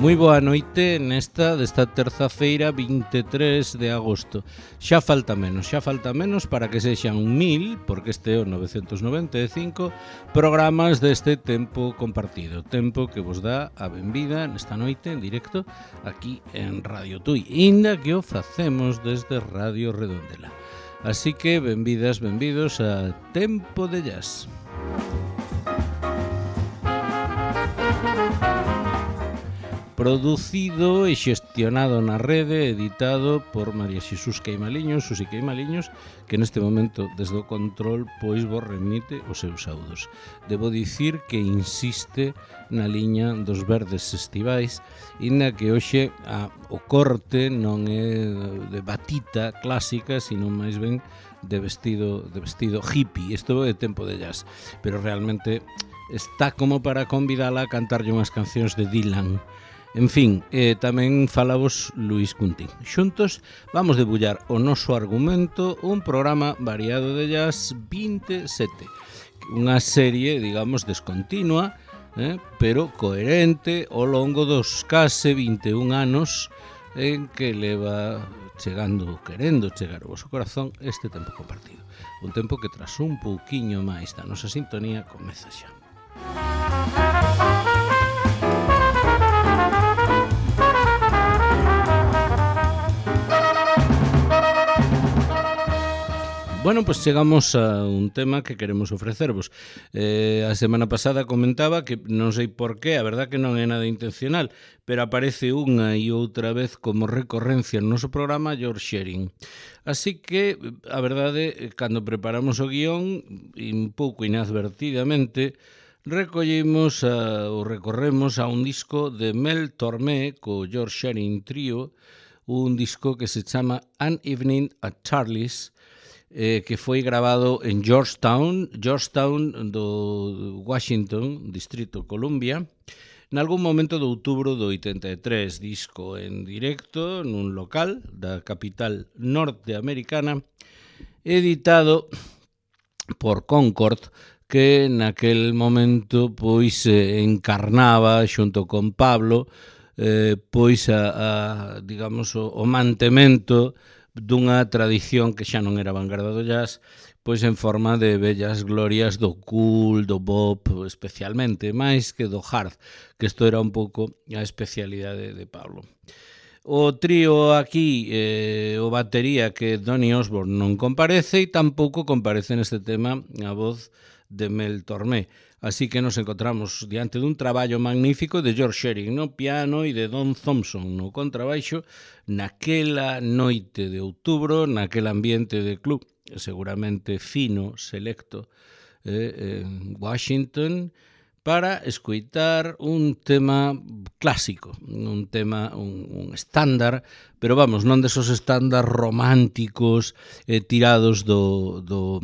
Moi boa noite desta terza-feira 23 de agosto. Xa falta menos para que sexan 1000, porque este é o 995, programas deste tempo compartido. Tempo que vos dá a benvida nesta noite en directo aquí en Radio Tui, inda que o facemos desde Radio Redondela. Así que benvidas, benvidos a Tempo de Jazz. Producido e xestionado na rede, editado por María Xesús Queimaliños, Susi Queimaliños, que neste momento, desde o control, pois vos remite os seus audos. Debo dicir que insiste na liña dos verdes estivais, inda que hoxe o corte non é de batita clásica, sino máis ben de vestido hippie. Isto é Tempo de Jazz, pero realmente está como para convidala a cantarlle unhas cancións de Dylan. En fin, tamén falamos Luis Cuntín. Xuntos vamos debullar o noso argumento, un programa variado de jazz 27. Unha serie, digamos, descontinua, pero coherente ao longo dos case 21 anos en que leva querendo chegar ao vosso corazón este tempo compartido. Un tempo que tras un pouquiño máis da nosa sintonía comeza xa. Bueno, pues chegamos a un tema que queremos ofrecervos. A semana pasada comentaba que non sei por qué, a verdad que non é nada intencional, pero aparece unha e outra vez como recorrencia no noso programa George Shearing. Así que, a verdade, cando preparamos o guión, un pouco inadvertidamente, recorremos a un disco de Mel Tormé co George Shearing Trio, un disco que se chama An Evening at Charlie's, que foi grabado en Georgetown do Washington, Distrito Columbia, nalgún momento de outubro do 83, disco en directo nun local da capital norteamericana, editado por Concord, que naquel momento pois encarnaba xunto con Pablo pois digamos o mantemento dunha tradición que xa non era vanguarda do jazz, pois en forma de bellas glorias do cool, do bop, especialmente, máis que do hard, que isto era un pouco a especialidade de Pablo. O trío aquí, o batería, que Donny Osborne non comparece, e tampouco comparece neste tema a voz de Mel Tormé. Así que nos encontramos diante dun traballo magnífico de George Shearing no piano e de Don Thompson no contrabaixo naquela noite de outubro, naquel ambiente de club seguramente fino, selecto en Washington, para escoitar un tema clásico, un tema, un estándar, pero vamos, non desos estándar románticos tirados do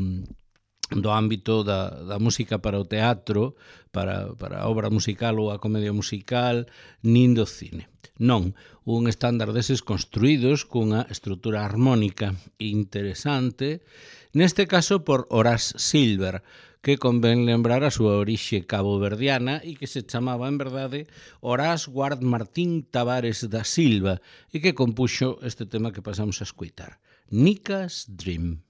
ámbito da música para o teatro, para a obra musical ou a comedia musical, nin do cine. Non, un estándar deses construídos cunha estrutura armónica interesante, neste caso por Horace Silver, que convén lembrar a súa orixe caboverdiana e que se chamaba, en verdade, Horace Ward Martín Tavares da Silva, e que compuxo este tema que pasamos a escoitar, Nika's Dream.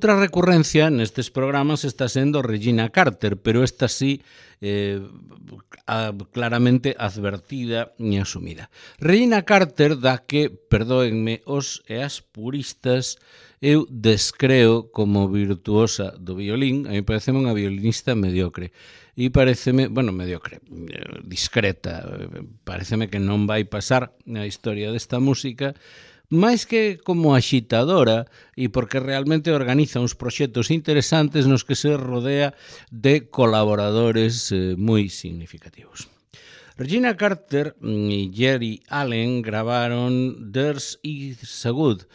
outra recurrencia nestes programas está sendo Regina Carter, pero esta sí claramente advertida e asumida. Regina Carter da que, perdóenme os e as puristas, eu descreo como virtuosa do violín. A mí pareceme unha violinista mediocre. E pareceme, bueno, mediocre, discreta, pareceme que non vai pasar na historia desta música, máis que como axitadora e porque realmente organiza uns proxectos interesantes nos que se rodea de colaboradores moi significativos. Regina Carter e Geri Allen gravaron There's Is a Good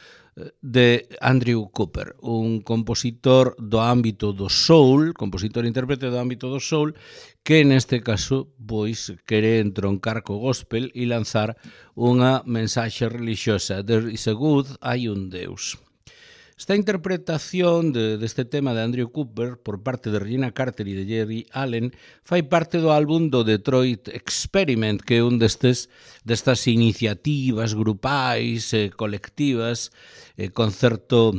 de Andrew Cooper, un compositor do ámbito do soul, compositor e intérprete do ámbito do soul, que neste caso pois quere entroncar co gospel e lanzar unha mensaxe religiosa. There is a good, hai un Deus. Esta interpretación deste tema de Andrew Cooper por parte de Regina Carter e de Geri Allen fai parte do álbum do Detroit Experiment, que é un destas iniciativas grupais, colectivas, con certo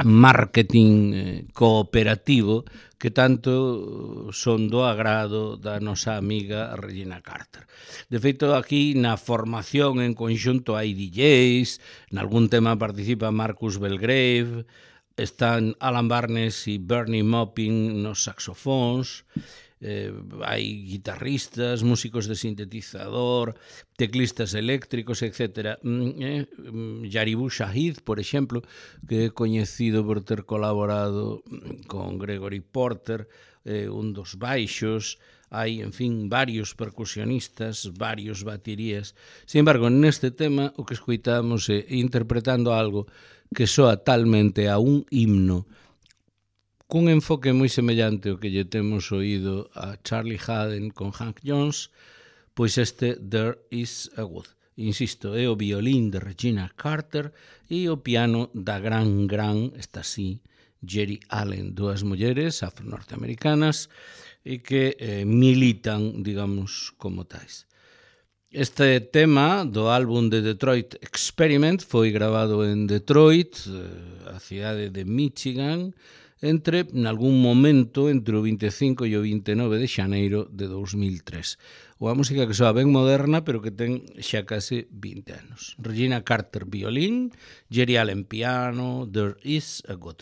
marketing cooperativo que tanto son do agrado da nosa amiga Regina Carter. De feito, aquí na formación en conxunto hai DJs, nalgún tema participa Marcus Belgrave, están Alan Barnes e Bernie Maupin nos saxofóns, hai guitarristas, músicos de sintetizador, teclistas eléctricos, etc. Yaribu Shahid, por exemplo, que é coñecido por ter colaborado con Gregory Porter, un dos baixos, hai, en fin, varios percusionistas, varios baterías. Sin embargo, neste tema, o que escoitamos é interpretando algo que soa talmente a un himno, cun enfoque moi semellante ao que lle temos oído a Charlie Haden con Hank Jones, pois este There Is a Good. Insisto, é o violín de Regina Carter e o piano da gran, esta sí, Geri Allen, dúas mulleres afro-norteamericanas e que militan, digamos, como tais. Este tema do álbum de Detroit Experiment foi grabado en Detroit, a cidade de Michigan, en algún momento entre o 25 e o 29 de xaneiro de 2003. Unha música que soa ben moderna, pero que ten xa case 20 anos. Regina Carter, violín, Geri Allen, piano, There Is a God.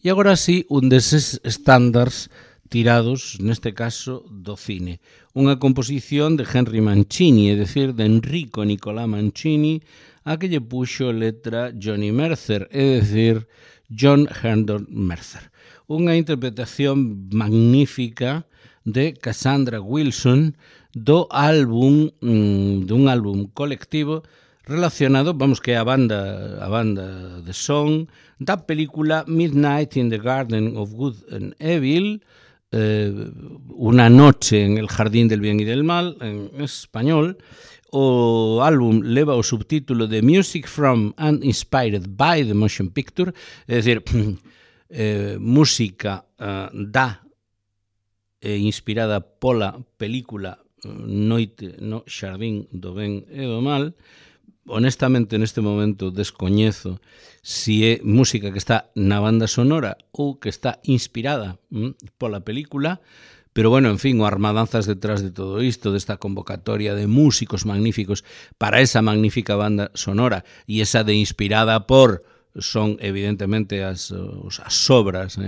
E agora sí, un deses estándares tirados, neste caso, do cine. Unha composición de Henry Mancini, é dicir, de Enrico Nicolà Mancini, a que lle puxo letra Johnny Mercer, é dicir, John Herndon Mercer. Unha interpretación magnífica de Cassandra Wilson do álbum, dun álbum colectivo relacionado, vamos, que é a banda de son da película Midnight in the Garden of Good and Evil, Una noche en el jardín del bien y del mal, en español. O álbum leva o subtítulo de Music from and Inspired by the Motion Picture, é dicir, música da e inspirada pola película Noite no Xardín do Ben e do Mal. Honestamente, neste momento descoñezo si é música que está na banda sonora ou que está inspirada pola película, pero bueno, en fin, o armadanzas detrás de todo isto, desta convocatoria de músicos magníficos para esa magnífica banda sonora, e esa de inspirada por son evidentemente as sobras,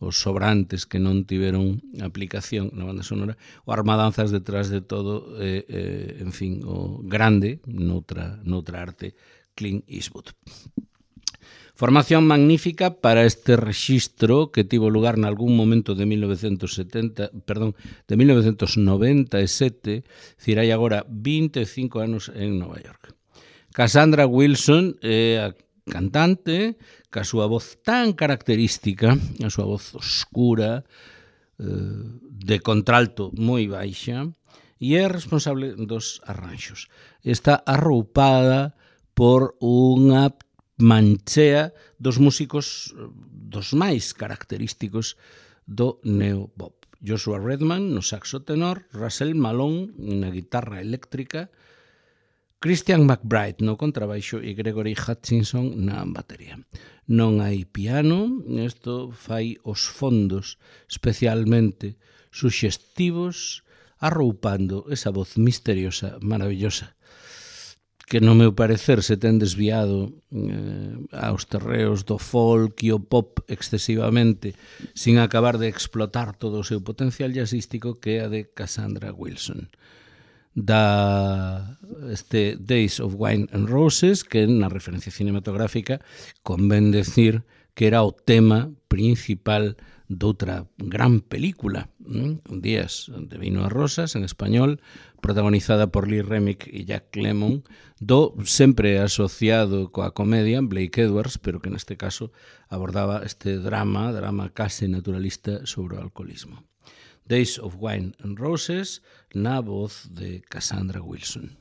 os sobrantes que non tiveron aplicación na banda sonora, o armadanzas detrás de todo, en fin, o grande noutra arte, Clint Eastwood. Formación magnífica para este rexistro que tivo lugar nalgún momento de 1997, dicir, hai agora 25 anos en Nova York. Cassandra Wilson é a cantante, ca súa voz tan característica, a súa voz oscura, de contralto moi baixa, e é responsable dos arranxos. Está arroupada por unha manchea dos músicos dos máis característicos do neopop. Joshua Redman no saxo tenor, Russell Malone na guitarra eléctrica, Christian McBride no contrabaixo e Gregory Hutchinson na batería. Non hai piano, isto fai os fondos especialmente suxestivos, arroupando esa voz misteriosa, maravillosa, que no meu parecer se ten desviado aos terreos do folk e o pop excesivamente, sin acabar de explotar todo o seu potencial jazzístico, que é a de Cassandra Wilson. Da este Days of Wine and Roses, que na referencia cinematográfica convén decir que era o tema principal doutra gran película, Días de vino e rosas, en español, protagonizada por Lee Remick e Jack Lemmon, do sempre asociado coa comedia Blake Edwards, pero que neste caso abordaba este drama case naturalista sobre o alcoholismo. Days of Wine and Roses, na voz de Cassandra Wilson.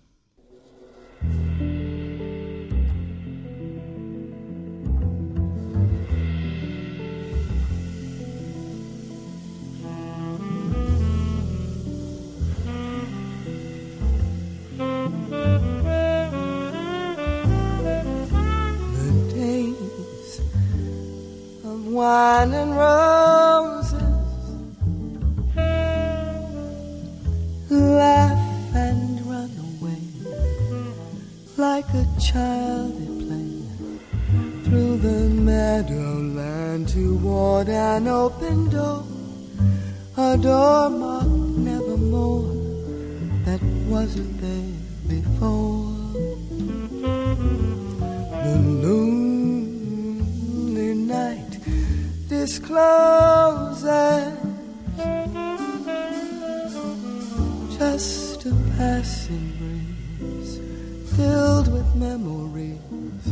Wine and roses, laugh and run away like a child at play through the meadowland toward an open door, a door marked nevermore that wasn't there before. The lonely night discloses just a passing breeze filled with memories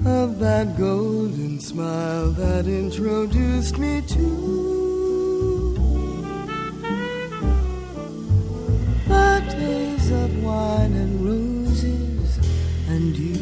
of that golden smile that introduced me to the days of wine and roses and you.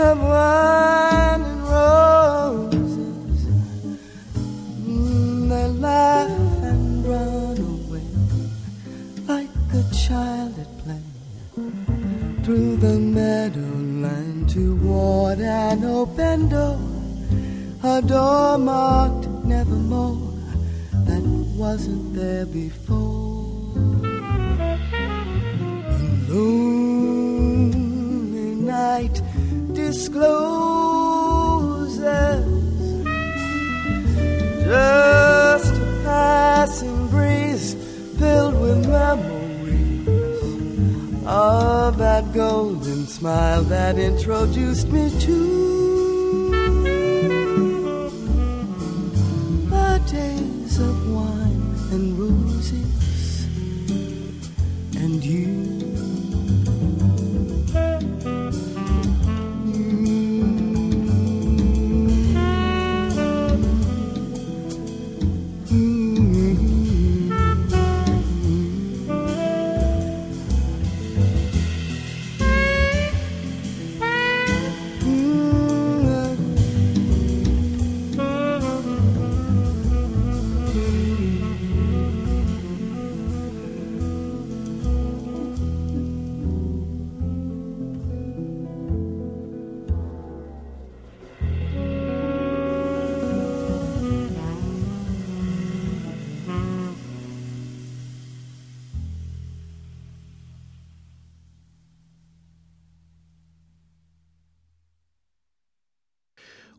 of wine and roses. They laugh and run away like a child at play through the meadowland toward an open door, a door marked nevermore that wasn't there before. The lonely night discloses just a passing breeze filled with memories of that golden smile that introduced me to the days of wine and roses and you.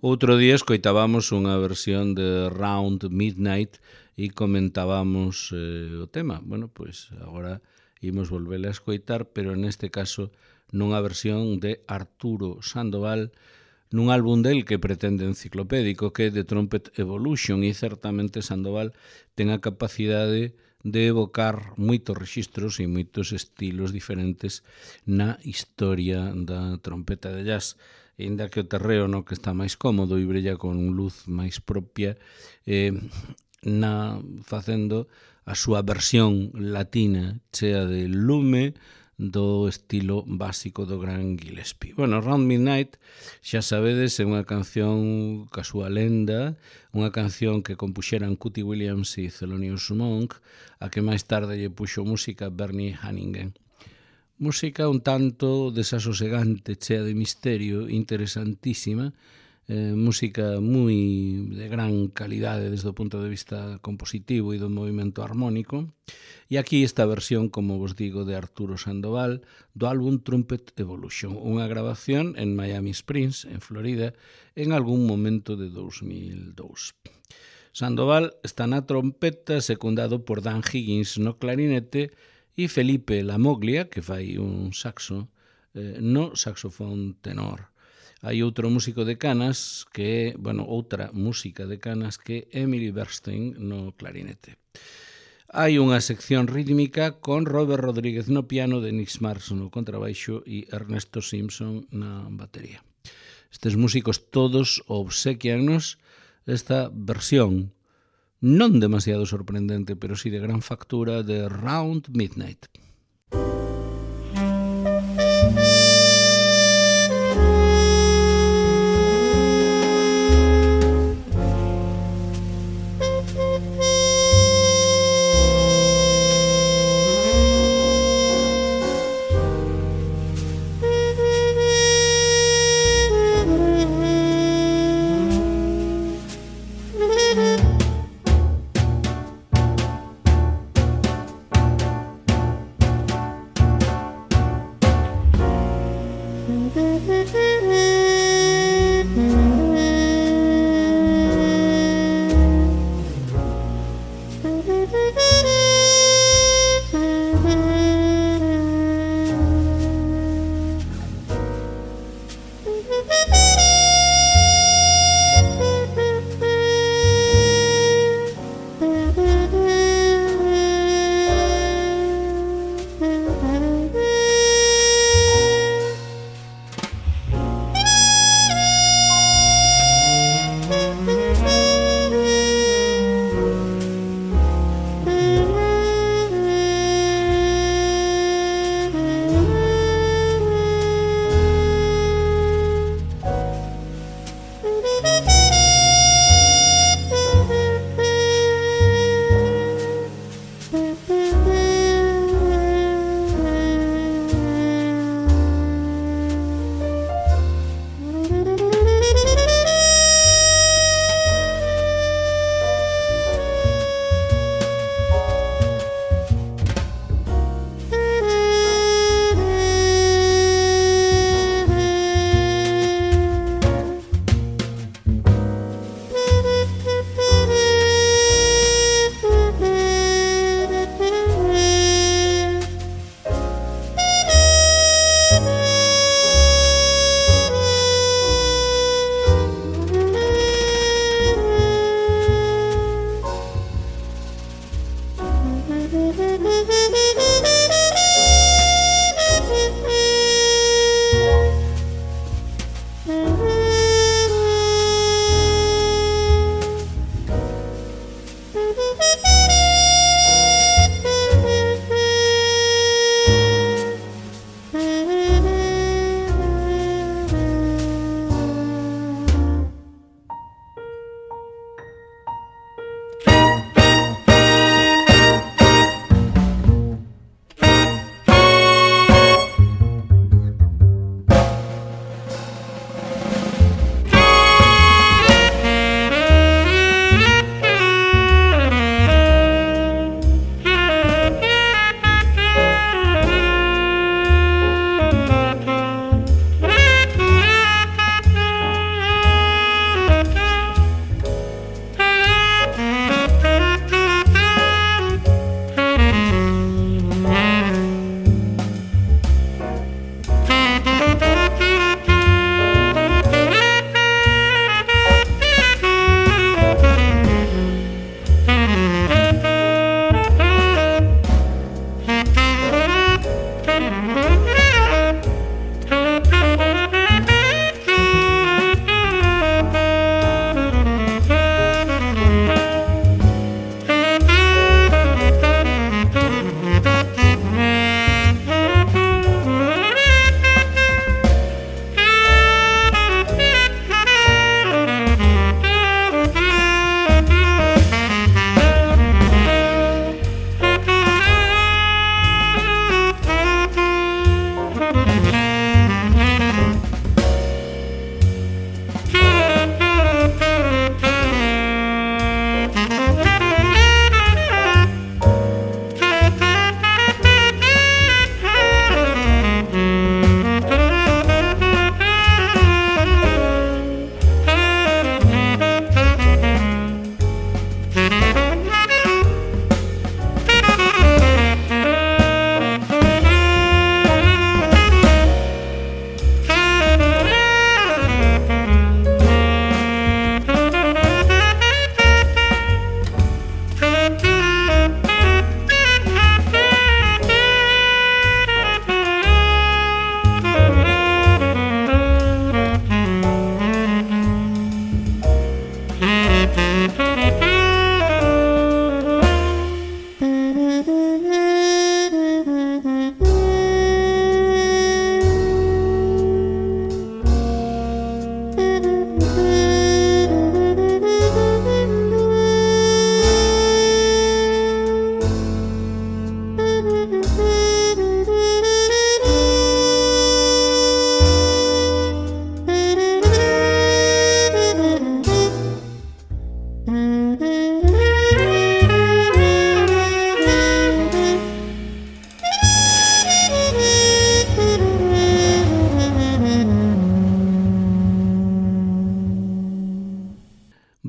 Outro día escoitábamos unha versión de Round Midnight e comentábamos o tema. Bueno, pois agora imos volvela a escoitar, pero neste caso nunha versión de Arturo Sandoval nun álbum del que pretende enciclopédico, que é The Trumpet Evolution, e certamente Sandoval ten a capacidade de evocar moitos rexistros e moitos estilos diferentes na historia da trompeta de jazz. Ainda que o terreo no que está máis cómodo e brilla con luz máis propia, facendo a súa versión latina chea de lume do estilo básico do gran Gillespie. Bueno, Round Midnight, xa sabedes, é unha canción ca súa lenda, unha canción que compuxeran Cootie Williams e Thelonious Monk, a que máis tarde lle puxo música Bernie Hannigan. Música un tanto desasosegante, chea de misterio, interesantísima, música moi de gran calidade desde o punto de vista compositivo e do movimento armónico. E aquí esta versión, como vos digo, de Arturo Sandoval, do álbum Trumpet Evolution, unha grabación en Miami Springs, en Florida, en algún momento de 2002. Sandoval está na trompeta, secundado por Dan Higgins no clarinete, e Felipe Lamoglia, que fai un saxo, no saxofón tenor. Hai outro músico de canas, que é, outra música de canas, que é Emily Bernstein no clarinete. Hai unha sección rítmica con Robert Rodríguez no piano, Denis Marx no contrabaixo e Ernesto Simpson na batería. Estes músicos todos obsequianos esta versión non demasiado sorprendente, pero sí de gran factura, de Round Midnight.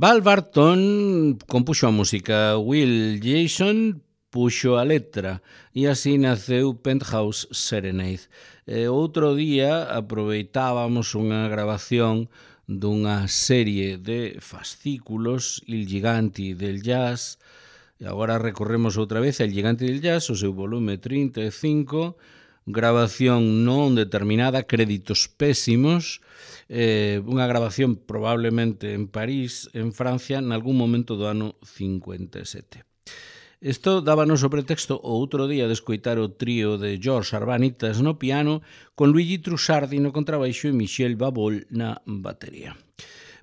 Val Barton compuxo a música, Will Jason puxo a letra e así naceu Penthouse Serenade. Outro día aproveitábamos unha grabación dunha serie de fascículos, Il Gigante del Jazz, e agora recorremos outra vez El Gigante del Jazz, o seu volume 35, grabación non determinada, créditos pésimos, unha grabación probablemente en París, en Francia, nalgún momento do ano 57. Isto dábanos o pretexto o outro día de escoitar o trío de George Arbanitas no piano, con Luigi Trussardi no contrabaixo e Michel Babol na batería.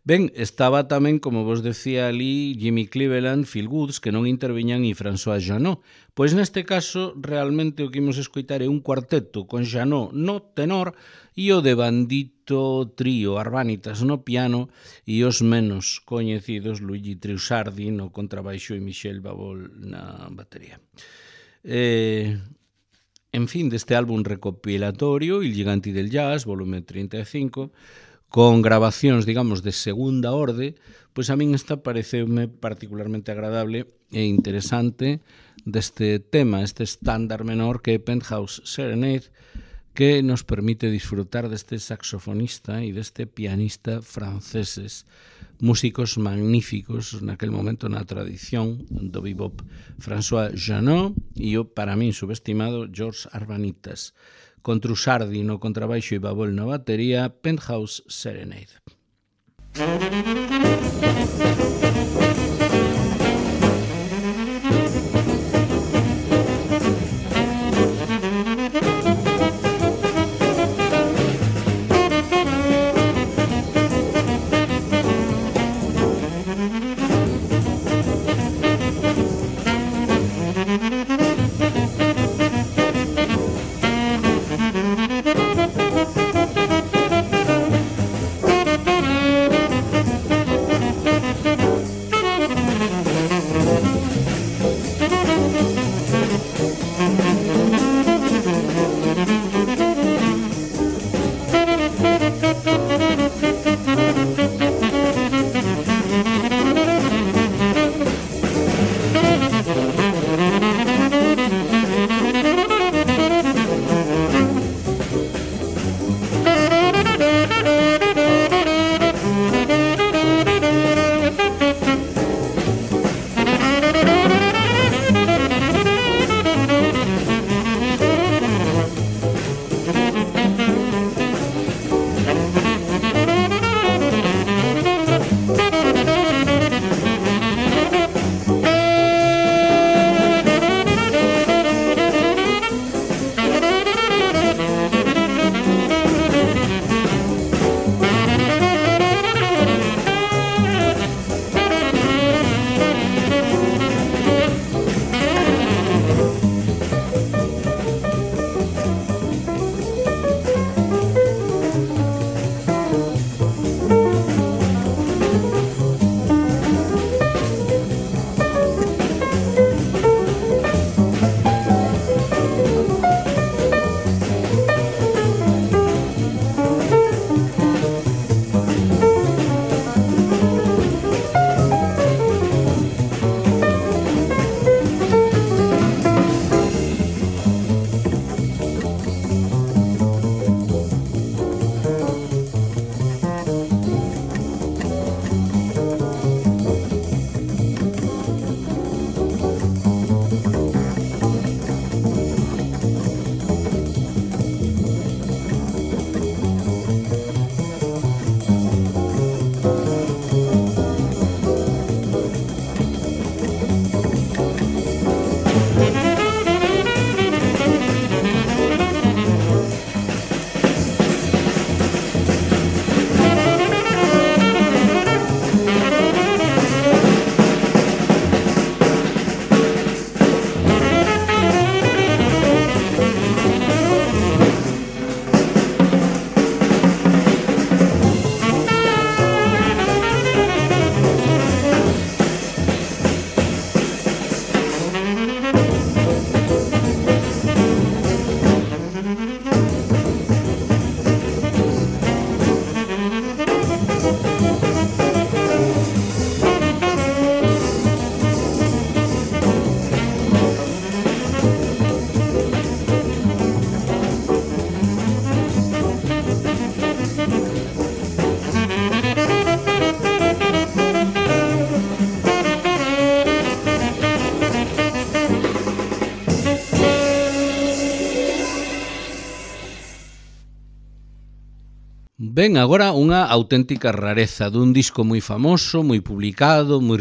Ben, estaba tamén, como vos decía ali, Jimmy Cleveland, Phil Woods, que non interviñan, e François Janot. Pois neste caso, realmente o que imos escoitar é un cuarteto con Janot no tenor e o de bandito trío Arbanitas no piano e os menos coñecidos Luigi Trussardi no contrabaixo e Michel Babol na batería. En fin, deste álbum recopilatorio, Il Gigante del Jazz, volume 35, con grabacións, digamos, de segunda orde, pois a min esta pareceume particularmente agradable e interesante deste tema, este estándar menor que é Penthouse Serenade, que nos permite disfrutar deste saxofonista e deste pianista franceses, músicos magníficos naquel momento na tradición do bebop, François Janot e o, para min, subestimado George Arbanitas, con Trussardi no contrabaixo e Babol na batería, Penthouse Serenade. Ben, agora unha auténtica rareza dun disco moi famoso, moi publicado, moi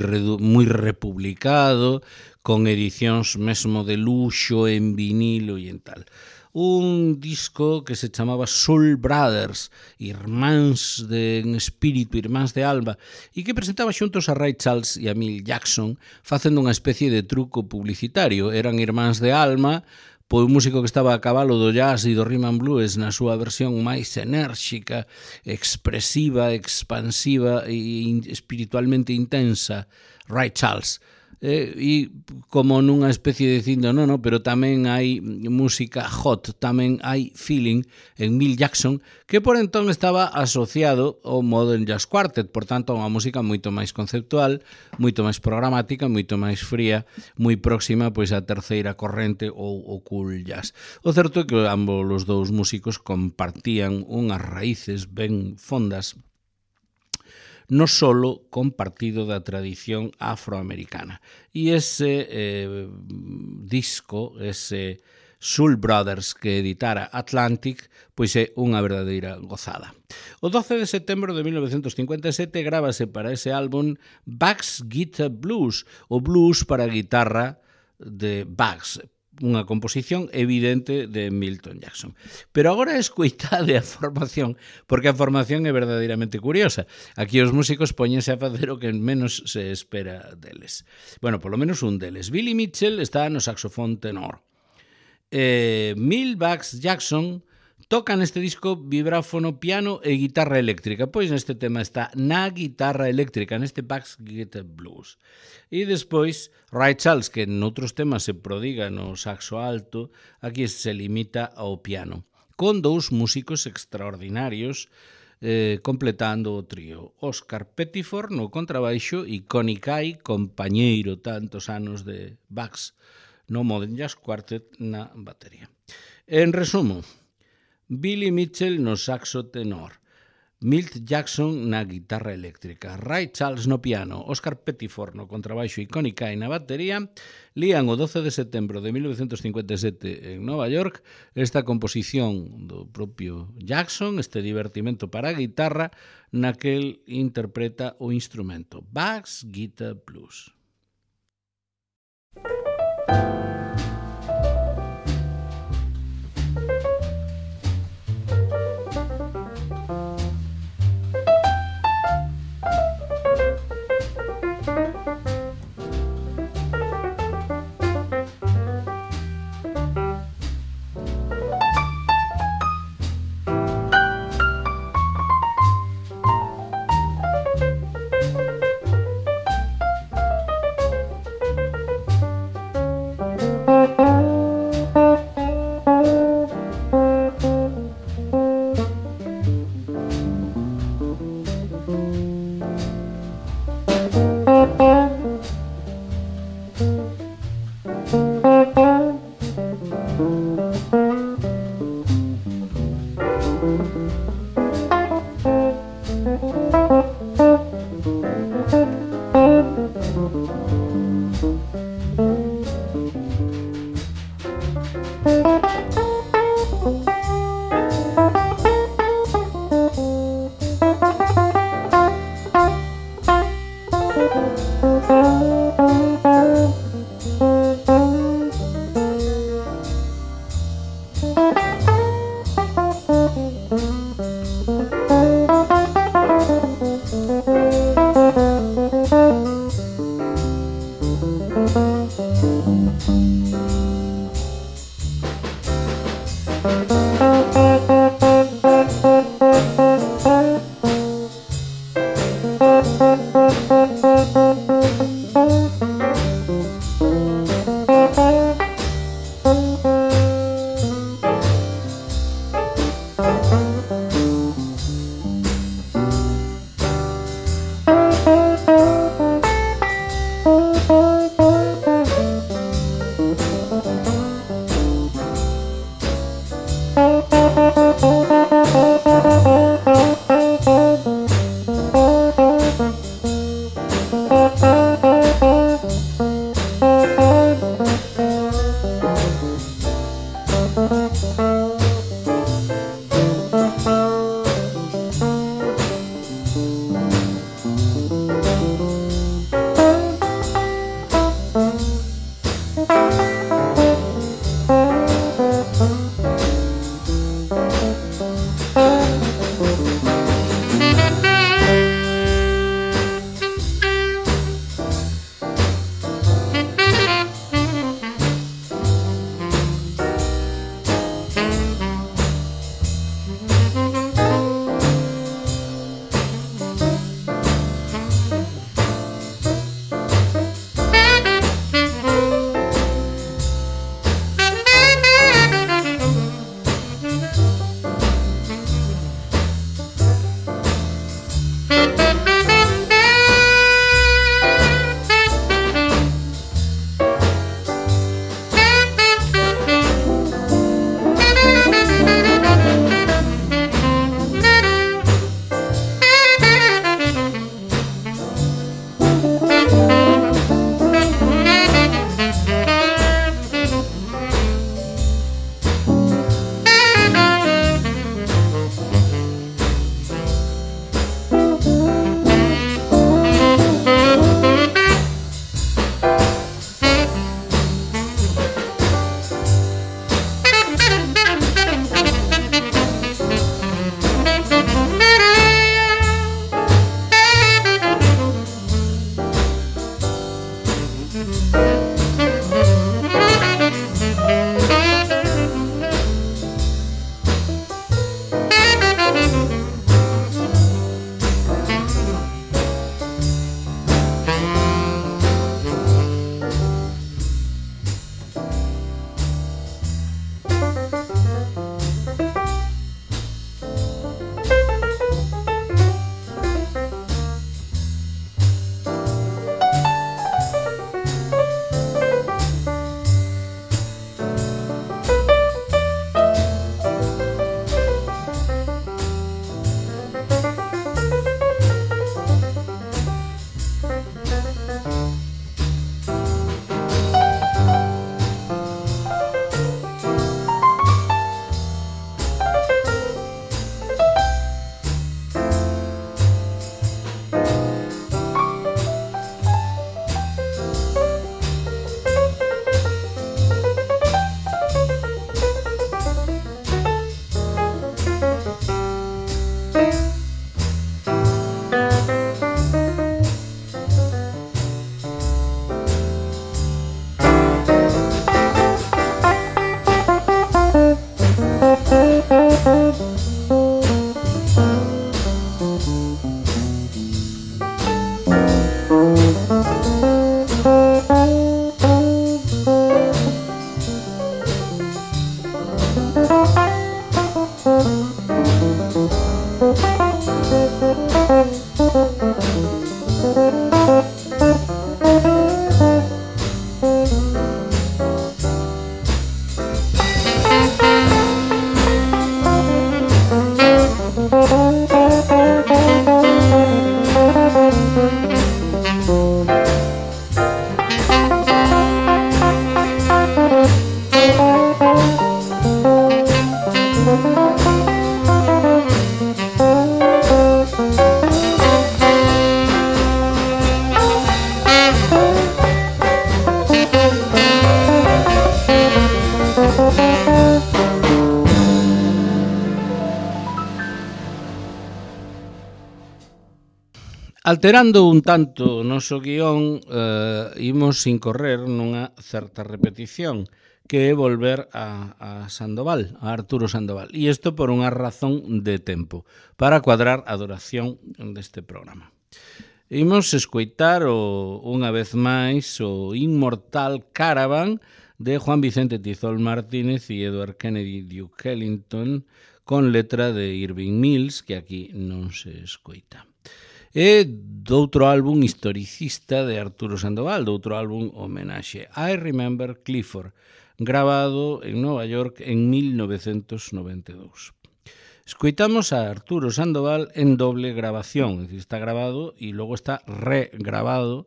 republicado, con edicións mesmo de luxo en vinilo e en tal. Un disco que se chamaba Soul Brothers, irmáns en espírito, irmáns de alma, e que presentaba xuntos a Ray Charles e a Milt Jackson facendo unha especie de truco publicitario. Eran irmáns de alma, pois un músico que estaba a cabalo do jazz e do rhythm and blues na súa versión máis enérxica, expresiva, expansiva e espiritualmente intensa, Ray Charles. E como nunha especie de dicindo, no, pero tamén hai música hot, tamén hai feeling en Milt Jackson, que por entón estaba asociado ao Modern Jazz Quartet, por tanto, unha música moito máis conceptual, moito máis programática, moito máis fría, moi próxima pois á terceira corrente ou o cool jazz. O certo é que ambos os dous músicos compartían unhas raíces ben fondas no solo compartido da tradición afroamericana. E ese disco, ese Soul Brothers que editara Atlantic, pois é unha verdadeira gozada. O 12 de setembro de 1957 grábase para ese álbum Bugs Guitar Blues, o blues para guitarra de Bugs, unha composición evidente de Milton Jackson. Pero agora escoitade a formación, porque a formación é verdadeiramente curiosa. Aquí os músicos poñense a facer o que menos se espera deles. Bueno, polo menos un deles. Billy Mitchell está no saxofón tenor. Milt Bugs Jackson toca neste disco vibráfono, piano e guitarra eléctrica. Pois neste tema está na guitarra eléctrica, neste Bugs Guitar Blues. E despois, Ray Charles, que noutros temas se prodiga no saxo alto, aquí se limita ao piano, con dous músicos extraordinarios completando o trío. Oscar Pettiford no contrabaixo e Connie Kay, compañeiro tantos anos de Bugs no Modern Jazz Quartet, na batería. En resumo, Billy Mitchell no saxo tenor, Milt Jackson na guitarra eléctrica, Ray Charles no piano, Oscar Pettiford no contrabaixo e Connie Kay na batería, lían o 12 de setembro de 1957 en Nova York esta composición do propio Jackson, este divertimento para a guitarra, naquel interpreta o instrumento, Bugs Guitar Blues. Alterando un tanto o noso guión, imos incorrer nunha certa repetición, que é volver a Sandoval, a Arturo Sandoval. E isto por unha razón de tempo, para cuadrar a duración deste programa. Imos escoitar unha vez máis o inmortal Caravan de Juan Vicente Tizol Martínez e Edward Kennedy Duke Ellington, con letra de Irving Mills, que aquí non se escoita. E doutro álbum historicista de Arturo Sandoval, doutro álbum homenaxe, I Remember Clifford, grabado en Nova York en 1992. Escoitamos a Arturo Sandoval en doble grabación, es decir, está grabado e logo está regrabado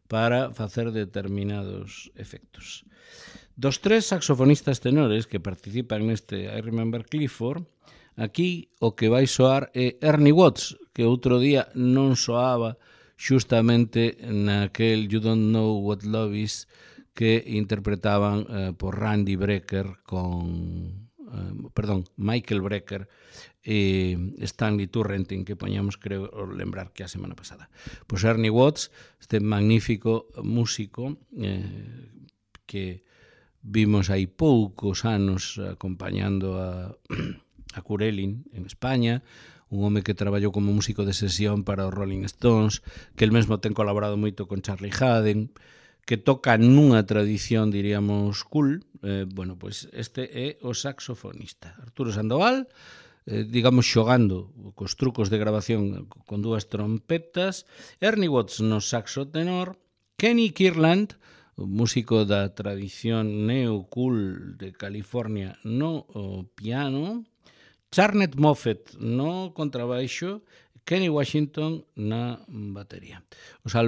para facer determinados efectos. Dos tres saxofonistas tenores que participan neste I Remember Clifford, aquí o que vai soar é Ernie Watts, que outro día non soaba xustamente naquel You Don't Know What Love Is que interpretaban por Randy Brecker con Michael Brecker e Stanley Turrentine, que poñamos, creo, lembrar que a semana pasada. Pois Ernie Watts, este magnífico músico que vimos hai poucos anos acompañando a Curelin en España, un home que traballou como músico de sesión para os Rolling Stones, que el mesmo ten colaborado moito con Charlie Haden, que toca nunha tradición, diríamos, cool. Bueno, pois este é o saxofonista Arturo Sandoval, digamos, xogando cos trucos de grabación con dúas trompetas, Ernie Watts no saxo tenor, Kenny Kirtland, músico da tradición neo-cool de California, no piano, Charnet Moffett no contrabaixo, Kenny Washington na batería. Os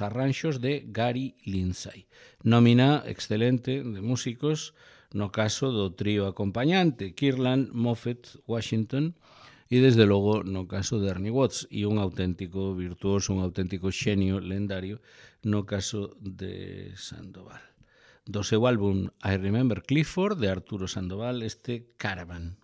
arranxos de Gary Lindsay. Nómina excelente de músicos, no caso do trío acompañante, Kirtland, Moffett, Washington, e desde logo no caso de Ernie Watts, e un auténtico virtuoso, un auténtico xenio lendario no caso de Sandoval. Do seu álbum I Remember Clifford, de Arturo Sandoval, este Caravan.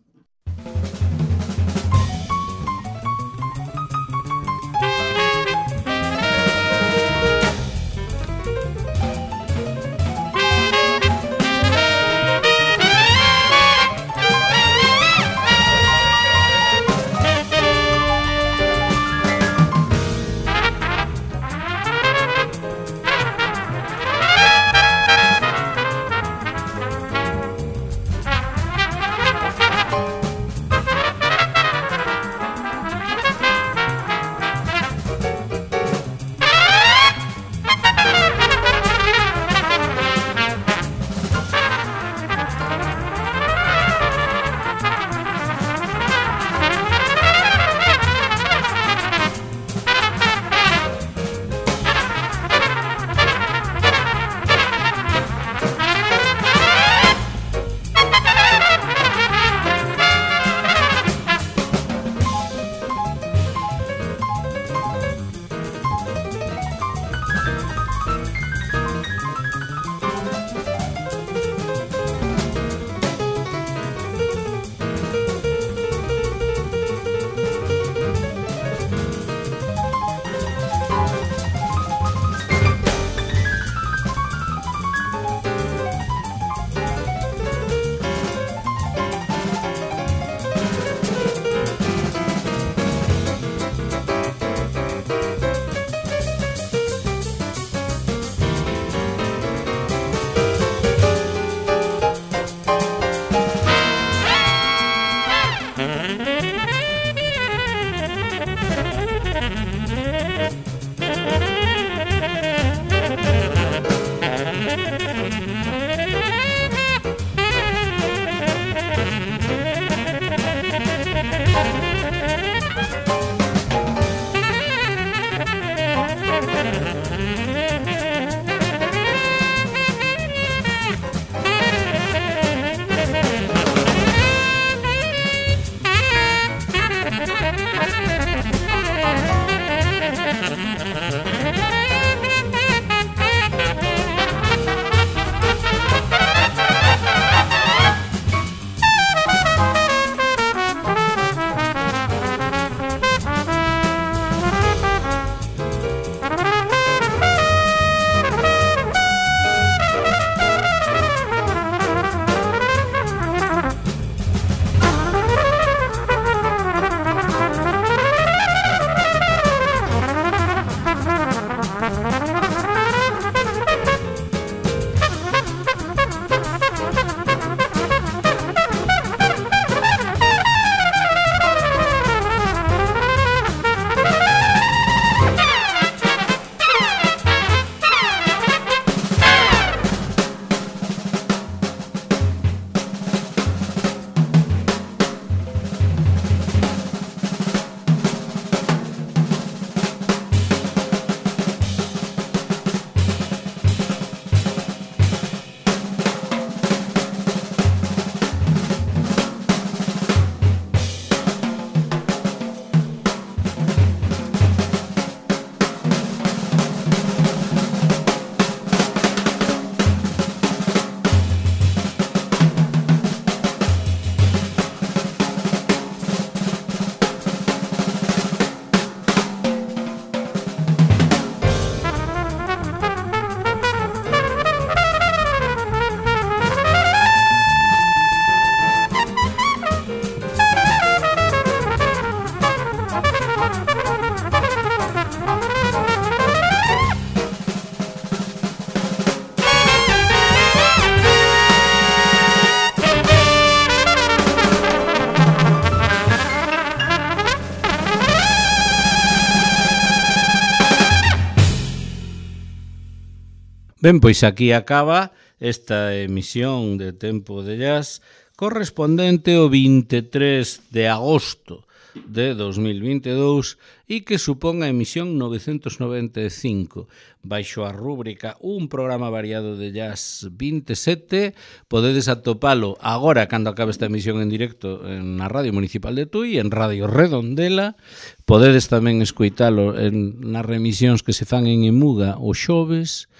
Ben, pois aquí acaba esta emisión de Tempo de Jazz correspondente ao 23 de agosto de 2022 e que supón a emisión 995. Baixo a rúbrica Un programa variado de jazz 27, podedes atopalo agora cando acabe esta emisión en directo na Radio Municipal de Tui, en Radio Redondela. Podedes tamén escoitalo nas remisións que se fan en Emuga o xoves,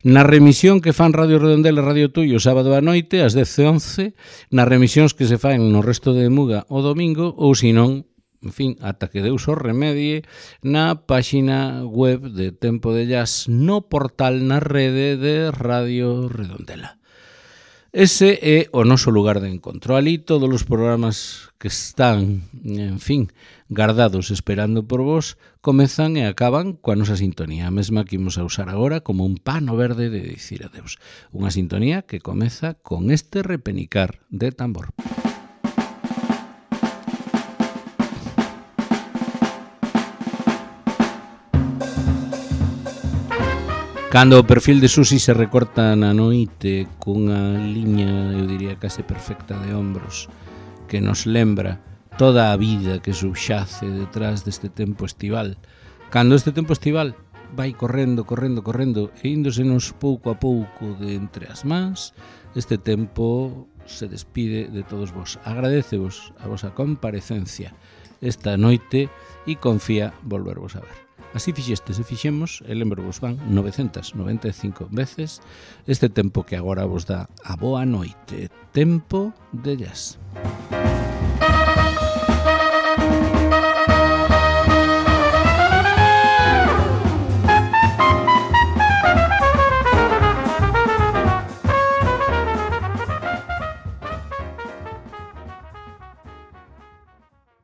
na remisión que fan Radio Redondela e Radio Tui o sábado a noite, ás 10:11, nas remisións que se fan no resto de Muga o domingo, ou senón, en fin, ata que Deus o remedie, na páxina web de Tempo de Jazz, no portal na rede de Radio Redondela. Ese é o noso lugar de encontro. Ali todos os programas que están, en fin, gardados esperando por vos, comezan e acaban coa nosa sintonía, a mesma que imos a usar agora como un pano verde de dicir adeus. Unha sintonía que comeza con este repenicar de tambor. Cando o perfil de Susi se recorta na noite cunha liña, eu diría, case perfecta de ombros, que nos lembra toda a vida que subxace detrás deste tempo estival. Cando este tempo estival vai correndo e índosenos pouco a pouco de entre as mans, este tempo se despide de todos vos. Agradecevos a vosa comparecencia esta noite e confía volvervos a ver. Así fixestes e fixemos, e lembro-vos van 995 veces este tempo que agora vos dá a boa noite. Tempo de Jazz.